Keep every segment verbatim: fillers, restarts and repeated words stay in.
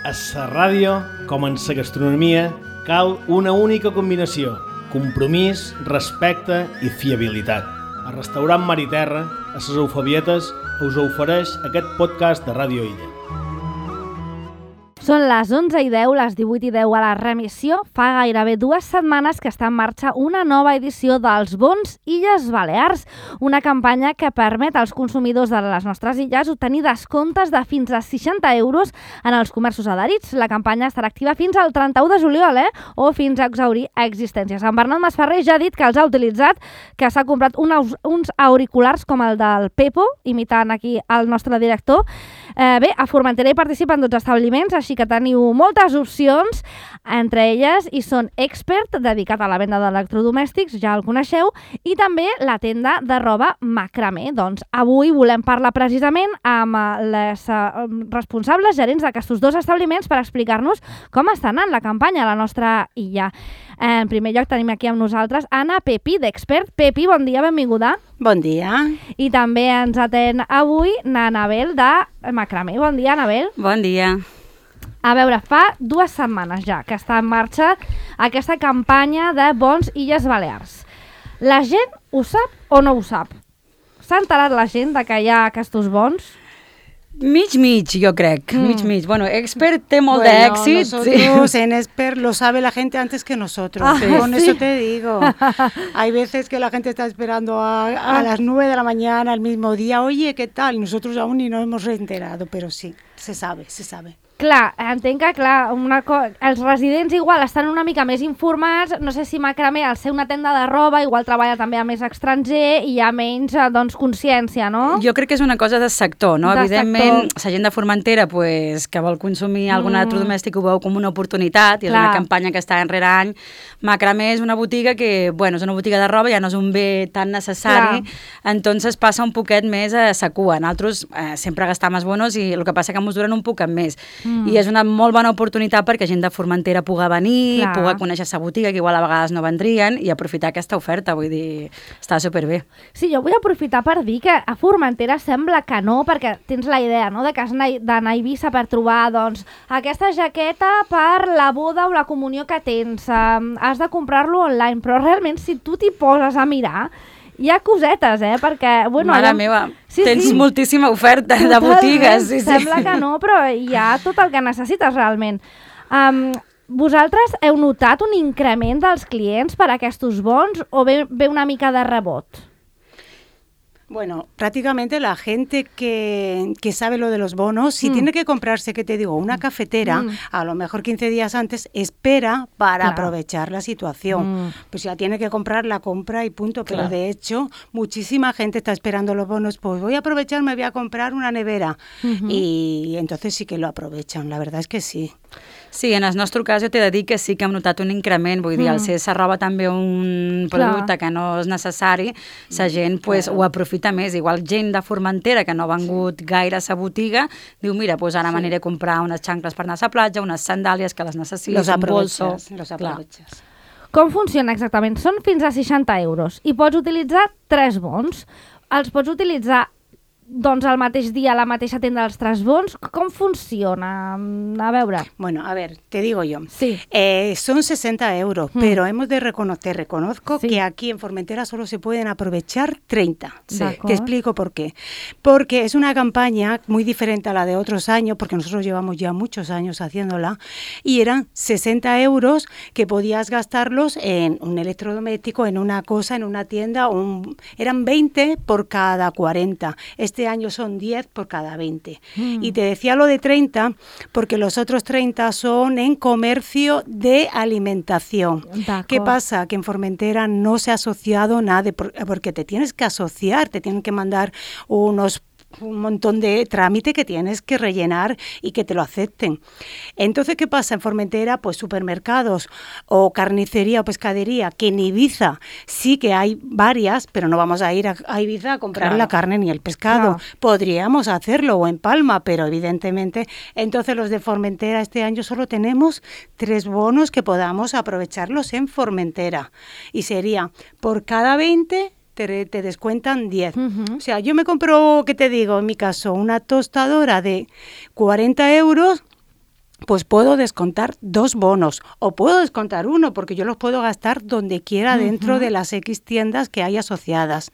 A la ràdio, com en la gastronomia, cal una única combinació: compromís, respecte i fiabilitat. El restaurant Mar i Terra, a les Eufebietes, us ofereix aquest podcast de Ràdio Illa. Són les onze i deu, les divuit i deu a la remissió. Fa gairebé dues setmanes que està en marxa una nova edició dels Bons Illes Balears, una campanya que permet als consumidors de les nostres illes obtenir descomptes de fins a seixanta euros en els comerços adherits. La campanya estarà activa fins al trenta-u de juliol, eh? o fins a exhaurir existències. En Bernat Masferrer ja ha dit que els ha utilitzat, que s'ha comprat uns, uns auriculars com el del Pepo, imitant aquí el nostre director. Eh, bé, a Formentera hi participen dotze establiments, així que teniu moltes opcions. Entre elles hi són Expert, dedicat a la venda d'electrodomèstics, ja el coneixeu, i també la tenda de roba Macramé. Doncs avui volem parlar precisament amb les uh, responsables gerents d'aquests dos establiments per explicar-nos com està anant la campanya a la nostra illa. En primer lloc tenim aquí amb nosaltres Anna Pepi, d'Expert. Pepi, bon dia, benvinguda. Bon dia. I també ens atén avui n'Anabel de Macramé. Bon dia, Anabel. Bon dia. A veure, fa dues setmanes ja que està en marxa aquesta campanya de Bons Illes Balears. La gent ho sap o no ho sap? S'ha enterat la gent de que hi ha aquests bons? Mig, mig, yo creo. Mm. Mig, mig. Bueno, Expert té molt bueno, d'èxit. Nosotros sí. En Expert lo sabe la gente antes que nosotros. Ah, sí. Con ¿sí? eso te digo. Hay veces que la gente está esperando a, a ah. las nueve de la mañana, el mismo día. Oye, ¿qué tal? Nosotros aún ni nos hemos reenterado, pero sí, se sabe, se sabe. Clar, entenc que clar, una co... els residents igual estan una mica més informats. No sé si Macramé, al ser una tenda de roba, igual treballa també a més estranger i hi ha menys doncs, consciència, no? Jo crec que és una cosa de sector, no? De Evidentment, sector. la gent de Formentera pues, que vol consumir algun mm. electrodomèstic ho veu com una oportunitat i és clar. una campanya que està enrere any. Macramé és una botiga que, bueno, és una botiga de roba, ja no és un bé tan necessari, clar. Entonces passa un poquet més a sa cua. Nosaltres eh, sempre gastam els bonos i el que passa que ens duren un poquet més. Mm. I és una molt bona oportunitat perquè gent de Formentera pugui venir, clar. pugui conèixer sa botiga, que igual a vegades no vendrien, i aprofitar aquesta oferta, vull dir, està superbé. Sí, jo vull aprofitar per dir que a Formentera sembla que no, perquè tens la idea, no?, de que has d'anar a Eivissa per trobar, doncs, aquesta jaqueta per la boda o la comunió que tens, um, has de comprar-lo online, però realment si tu t'hi poses a mirar, hi ha cosetes, eh? Perquè, bueno... Mare allà... meva, sí, tens sí. moltíssima oferta de Totalment. botigues. Sí, Sembla sí. que no, però hi ha tot el que necessites realment. Um, vosaltres heu notat un increment dels clients per a aquests bons o ve, ve una mica de rebot? Bueno, prácticamente la gente que, que sabe lo de los bonos, si mm. tiene que comprarse, ¿qué te digo?, una cafetera, mm. a lo mejor quince días antes, espera para claro. aprovechar la situación. Mm. Pues ya tiene que comprar, la compra y punto. Pero claro. de hecho, muchísima gente está esperando los bonos. Pues voy a aprovechar, me voy a comprar una nevera. Mm-hmm. Y entonces sí que lo aprovechan, la verdad es que sí. Sí, en el nostre cas jo t'he de dir que sí que hem notat un increment, vull dir, mm. al ser sa roba també un producte Clar. que no és necessari, la gent pues, ho aprofita més. Igual gent de Formentera que no ha vengut sí. gaire a sa botiga, diu, mira, pues ara sí. m'aniré a comprar unes xancles per anar a la platja, unes sandàlies que les necessito, los un bolso. Los aprovechas. Com funciona exactament? Són fins a seixanta euros i pots utilitzar tres bons. Els pots utilitzar doncs el mateix dia a la mateixa tenda dels tres bons. Com funciona? A veure. Bueno, a ver, te digo yo. Sí. Eh, son sesenta euros, mm. pero hemos de reconocer, reconozco sí. que aquí en Formentera solo se pueden aprovechar treinta. Sí. Te explico por qué. Porque es una campaña muy diferente a la de otros años, porque nosotros llevamos ya muchos años haciéndola, y eran sesenta euros que podías gastarlos en un electrodoméstico, en una cosa, en una tienda, un, eran veinte por cada cuarenta. Este año son diez por cada veinte. Mm. Y te decía lo de treinta porque los otros treinta son en comercio de alimentación. ¿Qué pasa? Que en Formentera no se ha asociado nada, porque te tienes que asociar, te tienen que mandar unos un montón de trámite que tienes que rellenar y que te lo acepten. Entonces, ¿qué pasa en Formentera? Pues supermercados o carnicería o pescadería, que en Ibiza sí que hay varias, pero no vamos a ir a, a Ibiza a comprar claro. la carne ni el pescado. Claro. Podríamos hacerlo, o en Palma, pero evidentemente, entonces los de Formentera este año solo tenemos tres bonos que podamos aprovecharlos en Formentera. Y sería por cada veinte te, te descuentan diez. Uh-huh. O sea, yo me compro, ¿qué te digo? En mi caso, una tostadora de cuarenta euros pues puedo descontar dos bonos o puedo descontar uno porque yo los puedo gastar donde quiera uh-huh. dentro de las X tiendas que hay asociadas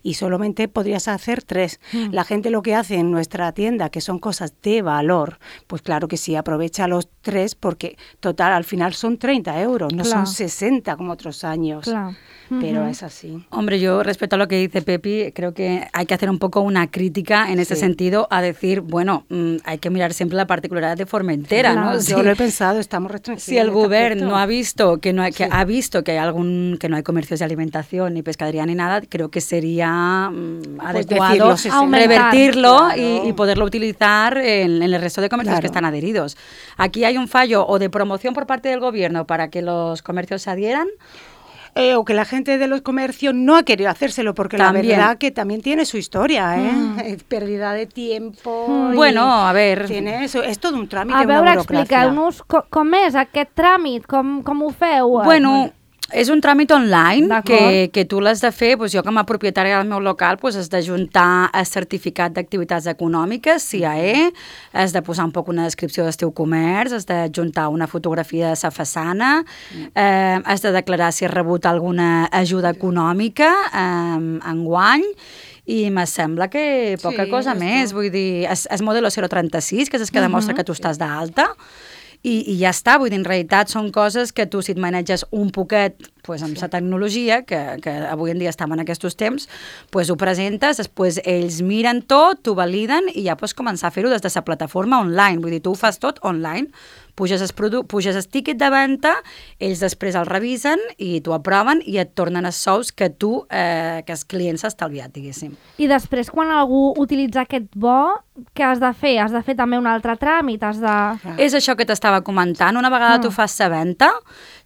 y solamente podrías hacer tres. Uh-huh. La gente lo que hace en nuestra tienda, que son cosas de valor, pues claro que sí, aprovecha los tres porque total al final son treinta euros, no claro. son sesenta como otros años. Claro. Pero uh-huh. es así. Hombre, yo respecto a lo que dice Pepi, creo que hay que hacer un poco una crítica en ese sí. sentido a decir, bueno, mmm, hay que mirar siempre la particularidad de Formentera, claro, ¿no? Yo si, lo he pensado, estamos restringidos. Si el gobierno no ha visto que no hay, que sí. ha visto que hay algún que no hay comercios de alimentación ni pescadería ni nada, creo que sería mmm, pues adecuado revertirlo claro. y, y poderlo utilizar en, en el resto de comercios claro. que están adheridos. Aquí hay un fallo o de promoción por parte del gobierno para que los comercios se adhieran. Eh, o que la gente de los comercios no ha querido hacérselo, porque también. La verdad que también tiene su historia, ¿eh? Mm. Es pérdida de tiempo. Mm. Bueno, a ver... Tiene eso, és tot un tràmit, a una veure, burocràcia. expliqueu-nos com, com és aquest tràmit, com, com ho feu? Bueno... És un tràmit online que, que tu l'has de fer, doncs jo com a propietària del meu local doncs has d'ajuntar el certificat d'activitats econòmiques, C I A E, has de posar un poc una descripció del teu comerç, has d'ajuntar una fotografia de sa façana, eh, has de declarar si has rebut alguna ajuda econòmica eh, enguany, i me sembla que poca sí, cosa més, tot. Vull dir, és, és modelo zero trenta-sis, que és el que demostra uh-huh. que tu estàs d'alta, I, i ja està, vull dir, en realitat són coses que tu si et maneges un poquet pues, amb la tecnologia, que, que avui en dia estem en aquests temps, pues, ho presentes, després ells miren tot, t'ho validen i ja pots començar a fer-ho des de la plataforma online, vull dir, tu ho fas tot online, puges el, produ- puges el tiquet de venda, ells després el revisen i t'ho aproven i et tornen els sous que tu, eh, que els clients s'ha estalviat, diguéssim. I després, quan algú utilitza aquest bo, què has de fer? Has de fer també un altre tràmit? Has de... És això que t'estava comentant. Una vegada mm. tu fas la venda,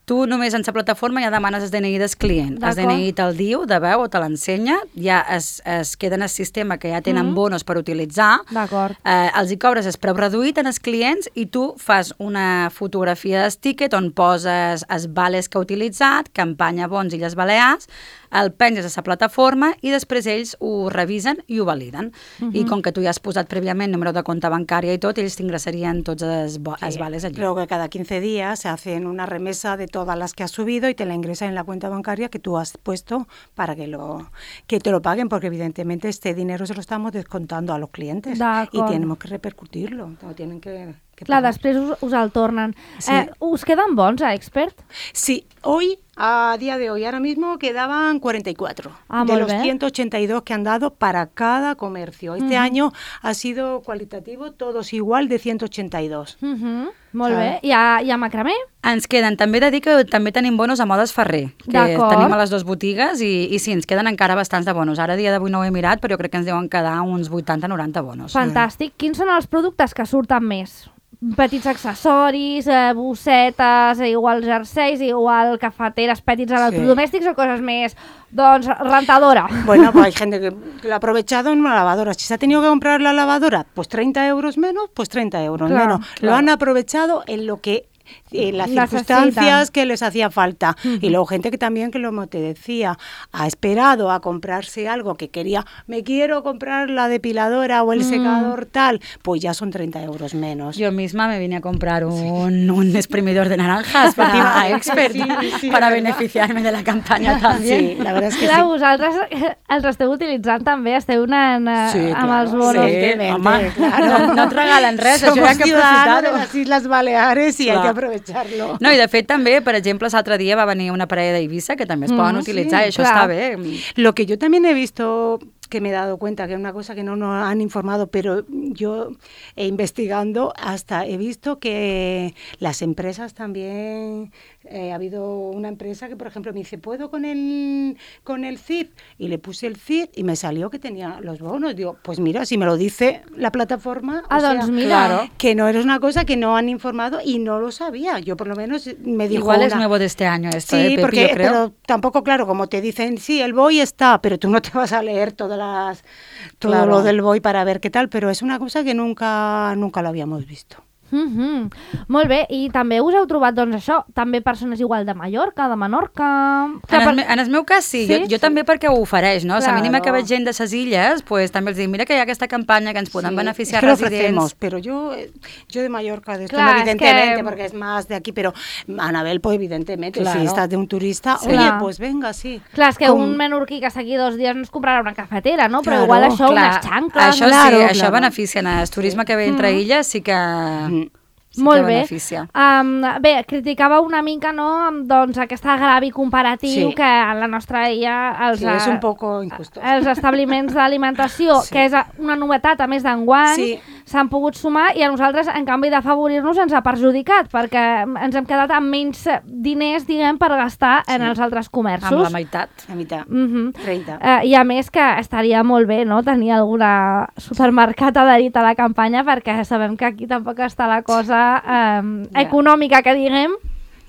tu només en la plataforma ja demanes el D N I del client. El D N I te'l diu, de veu, o te l'ensenya, ja es, es queda en el sistema que ja tenen mm. bonos per utilitzar, eh, els hi cobres el preu reduït en els clients i tu fas una fotografia del tiquet on poses els vales que ha utilitzat, campanya bons Illes Balears, el penges a la plataforma i després ells ho revisen i ho validen. Uh-huh. I com que tu ja has posat prèviament número de compte bancària i tot, ells t'ingressarien tots els, bo- sí. els vales allí. Luego que cada quince días se hacen una remesa de todas las que has subido y te la ingresan en la cuenta bancaria que tú has puesto para que, lo, que te lo paguen, porque evidentemente este dinero se lo estamos descontando a los clientes y tenemos que repercutirlo, no tienen que... Clar, després us, us el tornen. Sí. Eh, us queden bons a Expert? Sí, hoy, a día de hoy, ahora mismo quedaban cuarenta y cuatro ah, de los bé. ciento ochenta y dos que han dado para cada comercio. Este uh-huh. año ha sido cualitativo, todos igual de ciento ochenta y dos. Uh-huh. Molt ah. bé. I a, i a Macramé? Ens queden, també he de dir que també tenim bonos a Modes Ferrer, que D'acord. tenim a les dues botigues i, i sí, ens queden encara bastants de bonos. Ara, dia d'avui no ho he mirat, però jo crec que ens deuen quedar uns vuitanta noranta bonos. Fantàstic. Mm. Quins són els productes que surten més? Petits accessoris, eh, bossetes, igual jerseis, igual cafeteres, petits electrodomèstics sí. o cosas més, doncs, rentadora. Bueno, pues hay gente que lo ha aprovechado en una lavadora. Si se ha tenido que comprar la lavadora, pues treinta euros menos, pues treinta euros claro, menos. Claro. Lo han aprovechado en lo que... en las circunstancias que les hacía falta. Uh-huh. Y luego gente que también, que como te decía, ha esperado a comprarse algo que quería, me quiero comprar la depiladora o el uh-huh. secador tal, pues ya son treinta euros menos. Yo misma me vine a comprar un, sí. un exprimidor de naranjas para Expert, sí, sí, para beneficiarme de la campanya també. Sí, la verdad es que clar, sí. vosaltres els esteu utilitzant també, esteu anant sí, amb claro, els bonos. Sí, home, claro. no, no et regalen res, Somos això hi ha que aprofitar-ho. de las Islas Baleares y clar. hay que aprovecharlo. No, i de fet també, per exemple, l'altre dia va venir una parella d'Eivissa que també es poden mm, utilitzar sí, i això clar. està bé. Lo que yo también he visto, que me he dado cuenta que es una cosa que no nos han informado, pero yo eh, investigando hasta he visto que las empresas también, eh, ha habido una empresa que por ejemplo me dice, ¿puedo con el, con el C I F? Y le puse el C I F y me salió que tenía los bonos. Digo, pues mira, si me lo dice la plataforma, ah, o sea, doncs mira. Claro, que no era una cosa que no han informado y no lo sabía. Yo por lo menos me dijo Igual una... es nuevo de este año esto, sí, eh, Pepi, porque, yo creo. Pero tampoco, claro, como te dicen, sí, el B O I está, pero tú no te vas a leer todas las, todo claro. lo del B O I para ver qué tal, pero es una cosa que nunca, nunca lo habíamos visto. Mm-hmm. Molt bé, i també us heu trobat, doncs això, també persones igual de Mallorca, de Menorca... En el, per... en el meu cas sí, sí? Jo, jo també perquè ho ofereix, no? Claro. La mínima que veig gent de ses illes, pues, també els dic, mira que hi ha aquesta campanya que ens poden sí, beneficiar es que residents. Lo ofrecemos, pero yo, yo de Mallorca, de esto Claro, no, evidentemente, es que... porque es más de aquí, pero Anabel, pues evidentemente, claro. si estás de un turista, sí. oye, Clar. pues venga, sí. Clar, és que Com... un menorquí que s'aquí dos dies no es comprarà una cafetera, no? Però Claro, igual això, clar. unes xancles... Això claro, sí, claro. això beneficia. En el turisme que ve entre Mm. illes sí que... Mm. Sí Molt que bé. beneficia. Um, bé, criticava una mica, no?, doncs aquest agravi comparatiu Sí. que a la nostra illa els, Sí, és un poco injusto. els establiments d'alimentació, Sí. que és una novetat a més d'enguany, Sí. s'han pogut sumar i a nosaltres, en canvi d'afavorir-nos, ens ha perjudicat, perquè ens hem quedat amb menys diners, diguem, per gastar en Sí. els altres comerços. Amb la meitat. La mitad, Mhm. treinta. Eh, I a més que estaria molt bé, no?, tenir algun supermercat adherit a la campanya, perquè sabem que aquí tampoc està la cosa eh, Ja. econòmica, que diguem.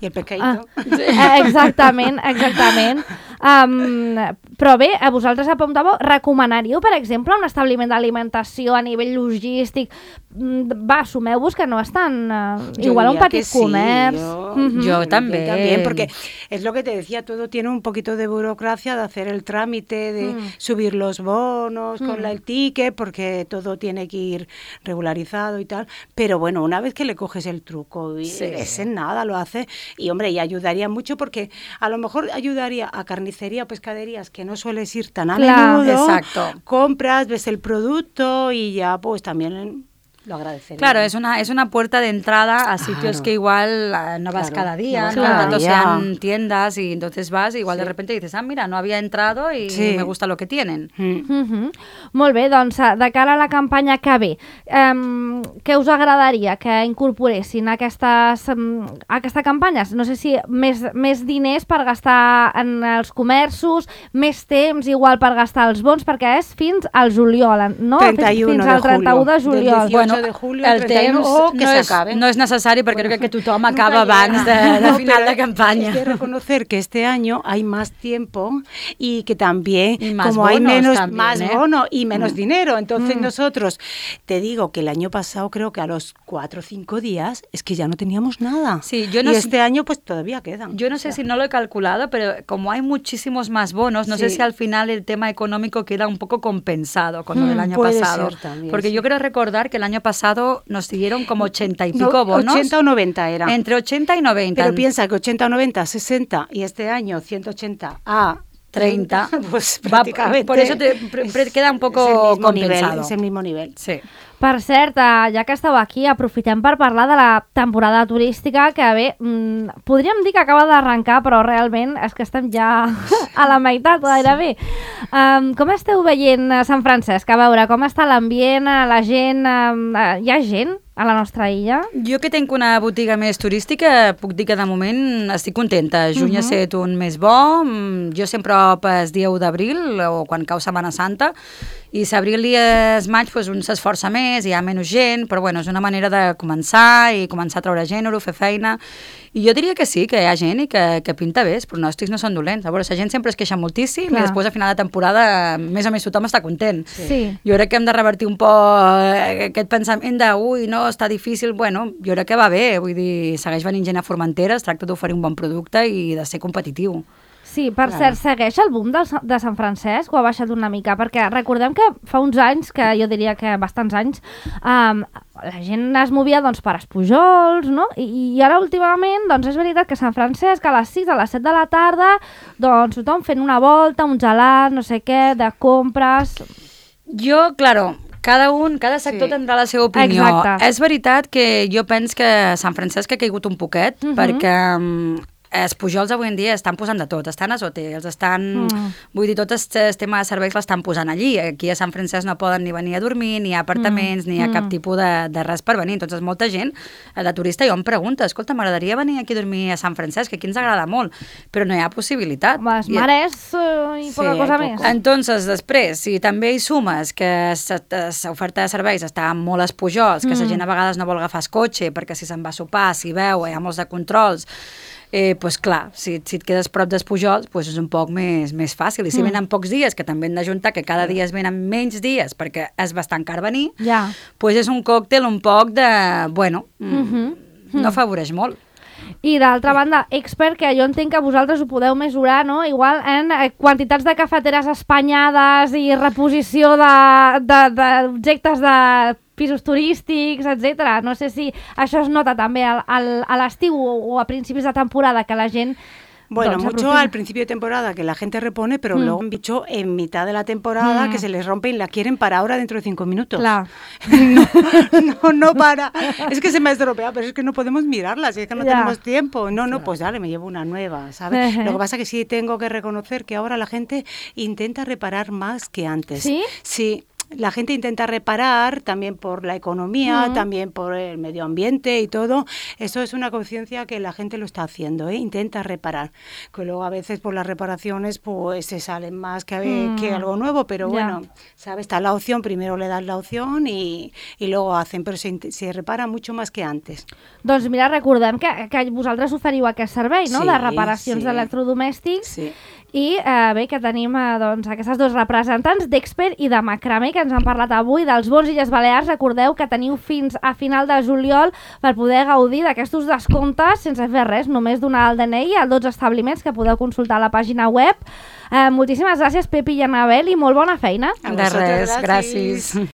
I el pescadito. Ah, eh, exactament, exactament. Um, però bé, a vosaltres apuntàveu, recomanaríeu, per exemple, un establiment d'alimentació a nivell logístic? Mm, Va, assumeu-vos que no és tan... Uh, Yo igual un diría petit que sí, comerç. yo- Mhm. Yo también. también, porque es lo que te decía, todo tiene un poquito de burocracia de hacer el trámite, de Mm. subir los bonos con Mm. la, el ticket, porque todo tiene que ir regularizado y tal. Pero bueno, una vez que le coges el truco, y Sí. es en nada, lo hace. Y hombre, y ayudaría mucho porque a lo mejor ayudaría a carnicería o pescaderías que no sueles ir tan a Claro. menudo. Exacto. Compras, ves el producto y ya pues también lo agradecería. Claro, es una, es una puerta de entrada a sitios Claro. que igual eh, no vas Claro, cada día, no vas no, cada tanto día. sean tiendas y entonces vas y igual de Sí. repente dices, ah, mira, no había entrado y Sí. me gusta lo que tienen. Mm. Mhm. Molt bé, doncs eh, de cara a la campanya que ve, um, què us agradaria que incorporessin aquestes, um, aquesta campanya? No sé si més, més diners per gastar en els comerços, més temps igual per gastar els bons, perquè és fins al juliol, no? treinta y uno fins de al trenta u de julio. Del juliol. dieciocho de julio, el treinta y uno, temps o que no, se és, acabe. no és necessari perquè crec que tothom Nunca acaba llega. abans de, de No, final pero de campanya. Es de reconocer que este año hay más tiempo y que también, Y más como hay bonos menos también, más ¿eh? bono y menos Mm. dinero, entonces Mm. nosotros, te digo que el año pasado creo que a los cuatro o cinco días es que ya no teníamos nada. Sí, yo no y sé- este año pues todavía quedan. Yo no sé si no lo he calculado, pero como hay muchísimos más bonos, no sé Sí. si al final el tema económico queda un poco compensado con lo del Mm, año puede pasado. ser también, Porque sí. yo quiero recordar que el año pasado nos dieron como ochenta y pico No, bonos. ochenta o noventa era. Entre ochenta y noventa. Pero piensa que ochenta o noventa, sesenta y este año ciento ochenta a treinta. pues Va- prácticamente por eso te- pre- pre- queda un poco es el mismo compensado. nivel, es el mismo nivel. Sí. Per cert, eh, ja que esteu aquí, aprofitem per parlar de la temporada turística, que bé, mm, podríem dir que acaba d'arrencar, però realment és que estem ja a la meitat gairebé. Um, com esteu veient a Sant Francesc? A veure, com està l'ambient, eh, la gent... Um, uh, hi ha gent a la nostra illa? Jo que tinc una botiga més turística, puc dir que de moment estic contenta. Juny Mhm. ha estat un mes bo, mm, jo sempre opes dia u d'abril o quan cau Setmana Santa, i s'abril i es maig doncs, un s'esforça més, hi ha menys gent, però bueno, és una manera de començar i començar a treure gènere, fer feina, i jo diria que sí, que hi ha gent i que, que pinta bé, els pronòstics no són dolents. A veure, la gent sempre es queixa moltíssim Clar. i després a final de temporada més o menys tothom està content. Sí. Jo crec que hem de revertir un poc aquest pensament de ui, no, està difícil. Bueno, jo crec que va bé, vull dir, segueix venint gent a Formentera, es tracta d'oferir un bon producte i de ser competitiu. Sí, per Clar. cert, segueix el boom del, Sa- de Sant Francesc o ha baixat una mica? Perquè recordem que fa uns anys, que jo diria que bastants anys, um, la gent es movia doncs, per Espujols, no? I, I ara últimament, doncs és veritat que Sant Francesc a les sis, a les set de la tarda, doncs tothom fent una volta, un gelat, no sé què, de compres... Jo, claro, cada un, cada sector Sí. tindrà la seva opinió. Exacte. És veritat que jo penso que Sant Francesc ha caigut un poquet, Mhm. perquè um, els Pujols avui en dia estan posant de tot, estan als hotels, estan... Mm. Vull dir, tot el tema de serveis l'estan posant allí. Aquí a Sant Francesc no poden ni venir a dormir, ni hi ha apartaments, Mm. ni hi ha cap Mm. tipus de, de res per venir. Entonces, molta gent, eh, de turista, jo em pregunta, escolta, m'agradaria venir aquí a dormir a Sant Francesc, que aquí ens agrada molt, però no hi ha possibilitat. Home, els I- mares uh, i Sí, poca cosa hay més. poco. Entonces, després, si també hi sumes que l'oferta de serveis està molt als Pujols, que la Mm. gent a vegades no vol agafar el cotxe perquè si se'n va a sopar, si veu, hi ha molts de controls, eh, pues clar, si, si et quedes prop dels Pujols, pues és un poc més, més fàcil. I si Mm. venen pocs dies, que també hem d'ajuntar que cada dia es venen menys dies, perquè és bastant car venir, Ja. pues és un còctel un poc de... bueno, mm, Mhm. no afavoreix molt. I d'altra banda, Expert, que jo entenc que vosaltres ho podeu mesurar, no? Igual en eh, quantitats de cafeteres espanyades i reposició de- de- d'objectes de, de pisos turístics, etcètera. No sé si això es nota també al, al, a l'estiu o, o a principis de temporada, que la gent... Bueno, doncs, mucho aprofita. al principio de temporada que la gente repone, pero Mm. luego han dicho en mitad de la temporada Mm. que se les rompe y la quieren para ahora dentro de cinco minutos. Clar. No, no, no para. Es que se me ha estropeado, pero es que no podemos mirarla, si es que no Ya. tenemos tiempo. No, no, pues dale, me llevo una nueva, ¿sabes? Ejé. Lo que pasa es que sí tengo que reconocer que ahora la gente intenta reparar más que antes. ¿Sí? Sí. La gente intenta reparar también por la economía, Mm. también por el medio ambiente y todo. Eso es una conciencia que la gente lo está haciendo, ¿eh? Intenta reparar. Que luego a veces por las reparaciones pues se salen más que, Mm. que algo nuevo, pero Ya. bueno, ¿sabes? Está la opción, primero le das la opción y, y luego hacen, pero se, int- se repara mucho más que antes. Doncs mira, recordem que, que vosaltres oferiu aquest servei, no?, Sí, de reparacions sí. d'electrodomèstics. Sí. I eh, bé, que tenim eh, doncs, aquestes dos representants d'Expert i de Macramé que ens han parlat avui dels bons Illes Balears. Recordeu que teniu fins a final de juliol per poder gaudir d'aquests descomptes sense fer res, només donar el D N I a dotze establiments que podeu consultar a la pàgina web. Eh, moltíssimes gràcies, Pepi i Anabel, i molt bona feina. A De vosotros, res, gràcies. gràcies.